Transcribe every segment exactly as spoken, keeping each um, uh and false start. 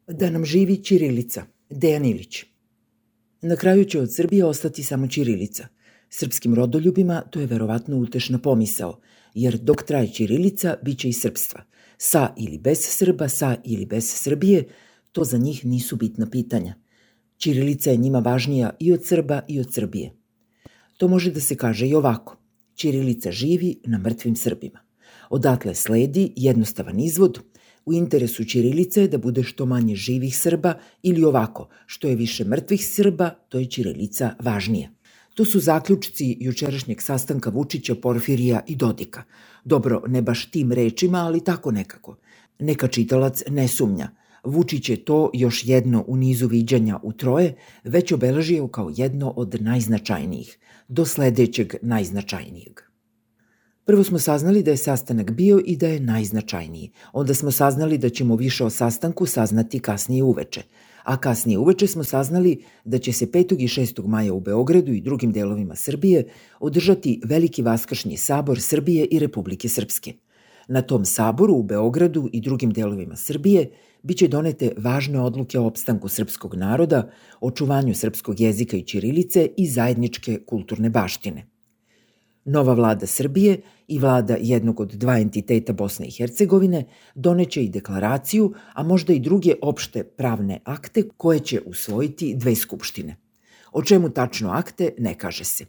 Da nam živi ćirilica. Dejan Ilić. Na kraju će od Srbije ostati samo ćirilica. Srpskim rodoljubima to je verovatno utešna pomisao, jer dok traje ćirilica, bit će i srpstva. Sa ili bez Srba, sa ili bez Srbije, to za njih nisu bitna pitanja. Ćirilica je njima važnija i od Srba i od Srbije. To može da se kaže i ovako. Ćirilica živi na mrtvim Srbima. Odatle sledi jednostavan izvod. U interesu ćirilice je da bude što manje živih Srba ili ovako, što je više mrtvih Srba, to je ćirilica važnija. To su zaključci jučerašnjeg sastanka Vučića, Porfirija i Dodika. Dobro, ne baš tim rečima, ali tako nekako. Neka čitalac ne sumnja. Vučić je to još jedno u nizu viđanja u troje već obeležio kao jedno od najznačajnijih, do sledećeg najznačajnijeg. Prvo smo saznali da je sastanak bio i da je najznačajniji. Onda smo saznali da ćemo više o sastanku saznati kasnije uveče. A kasnije uveče smo saznali da će se petog i šestog maja u Beogradu i drugim delovima Srbije održati Veliki vaskršnji sabor Srbije i Republike Srpske. Na tom saboru u Beogradu i drugim delovima Srbije biće donete važne odluke o opstanku srpskog naroda, očuvanju srpskog jezika i ćirilice i zajedničke kulturne baštine. Nova vlada Srbije i vlada jednog od dva entiteta Bosne i Hercegovine doneće i deklaraciju, a možda i druge opšte pravne akte koje će usvojiti dve skupštine. O čemu tačno akte ne kaže se.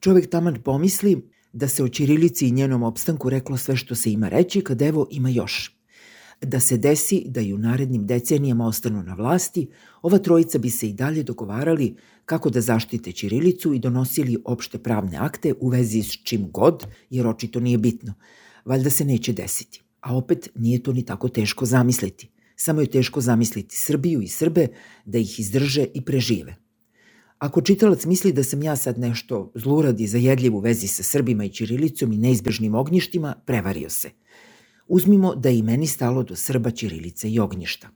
Čovek taman pomisli da se o ćirilici i njenom opstanku reklo sve što se ima reći, kad evo ima još. Da se desi da i u narednim decenijama ostanu na vlasti, ova trojica bi se i dalje dogovarali kako da zaštite ćirilicu i donosili opšte pravne akte u vezi s čim god, jer očito nije bitno. Valjda se neće desiti. A opet nije to ni tako teško zamisliti. Samo je teško zamisliti Srbiju i Srbe da ih izdrže i prežive. Ako čitalac misli da sam ja sad nešto zlurad i zajedljiv u vezi sa Srbima i ćirilicom i neizbežnim ognjištima, prevario se. Uzmimo da je i meni stalo do Srba, ćirilice i ognjišta.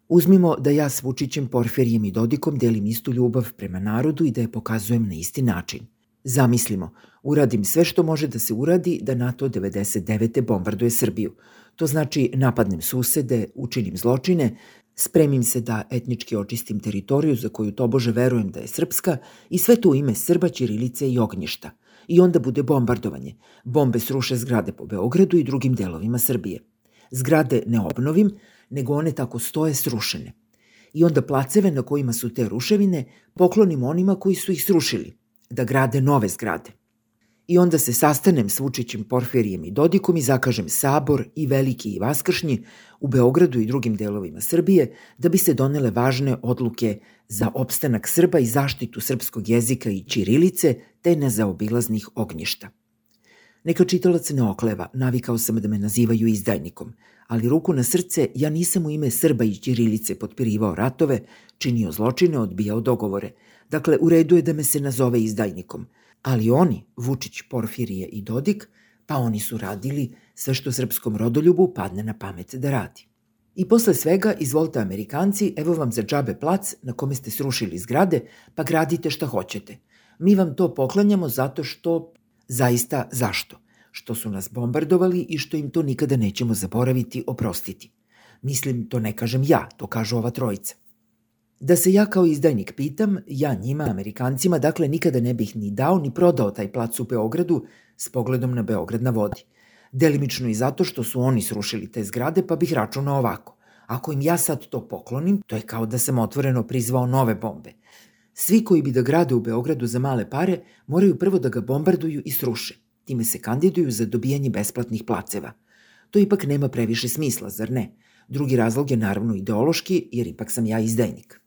Uzmimo da ja s Vučićem, Porfirijem i Dodikom delim istu ljubav prema narodu i da je pokazujem na isti način. Zamislimo, uradim sve što može da se uradi da NATO devedeset devete bombarduje Srbiju. To znači napadnem susede, učinim zločine, spremim se da etnički očistim teritoriju za koju tobože verujem da je srpska i sve to u ime Srba, ćirilice i ognjišta. I onda bude bombardovanje. Bombe sruše zgrade po Beogradu i drugim delovima Srbije. Zgrade ne obnovim, nego one tako stoje srušene. I onda placeve na kojima su te ruševine poklonim onima koji su ih srušili, da grade nove zgrade. I onda se sastanem s Vučićem, Porfirijem i Dodikom i zakažem sabor i veliki i vaskršnji u Beogradu i drugim delovima Srbije da bi se donele važne odluke za opstanak Srba i zaštitu srpskog jezika i ćirilice te nezaobilaznih ognjišta. Neka čitalac ne okleva, navikao sam da me nazivaju izdajnikom, ali ruku na srce, ja nisam u ime Srba i ćirilice potpirivao ratove, činio zločine, odbijao dogovore. Dakle, u redu je da me se nazove izdajnikom. Ali oni, Vučić, Porfirije i Dodik, pa oni su radili sve što srpskom rodoljubu padne na pamet da radi. I posle svega, izvolite Amerikanci, evo vam za džabe plac na kome ste srušili zgrade, pa gradite šta hoćete. Mi vam to poklanjamo zato što, zaista zašto? Što su nas bombardovali i što im to nikada nećemo zaboraviti, oprostiti. Mislim, to ne kažem ja, to kažu ova trojica. Da se ja kao izdajnik pitam, ja njima, Amerikancima, dakle nikada ne bih ni dao ni prodao taj plac u Beogradu s pogledom na Beograd na vodi. Delimično i zato što su oni srušili te zgrade, pa bih računao ovako. Ako im ja sad to poklonim, to je kao da sam otvoreno prizvao nove bombe. Svi koji bi da grade u Beogradu za male pare, moraju prvo da ga bombarduju i sruše. Time se kandiduju za dobijanje besplatnih placeva. To ipak nema previše smisla, zar ne? Drugi razlog je naravno ideološki, jer ipak sam ja izdajnik.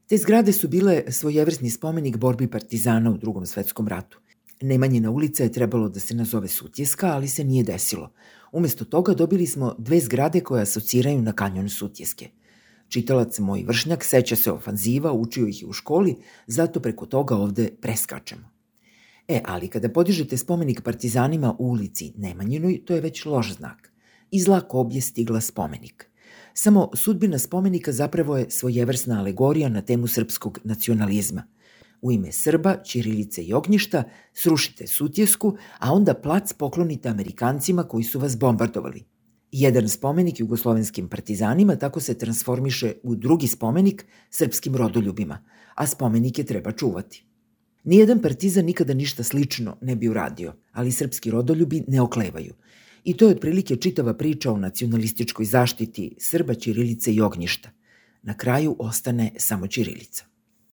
Te zgrade su bile svojevrsni spomenik borbi partizana u Drugom svetskom ratu. Nemanjina ulica je trebalo da se nazove Sutjeska, ali se nije desilo. Umesto toga dobili smo dve zgrade koje asociraju na kanjon Sutjeske. Čitalac moj vršnjak seća se ofanziva, učio ih je u školi, zato preko toga ovde preskačemo. E, ali kada podižete spomenik partizanima u ulici Nemanjinoj, to je već loš znak. Iz zla koblje stigla spomenik. Samo sudbina spomenika zapravo je svojevrsna alegorija na temu srpskog nacionalizma. U ime Srba, ćirilice i ognjišta srušite Sutjesku, a onda plac poklonite Amerikancima koji su vas bombardovali. Jedan spomenik jugoslovenskim partizanima tako se transformiše u drugi spomenik srpskim rodoljubima, a spomenike treba čuvati. Nijedan partizan nikada ništa slično ne bi uradio, ali srpski rodoljubi ne oklevaju. I to je otprilike čitava priča o nacionalističkoj zaštiti Srba, ćirilice i ognjišta. Na kraju ostane samo ćirilica.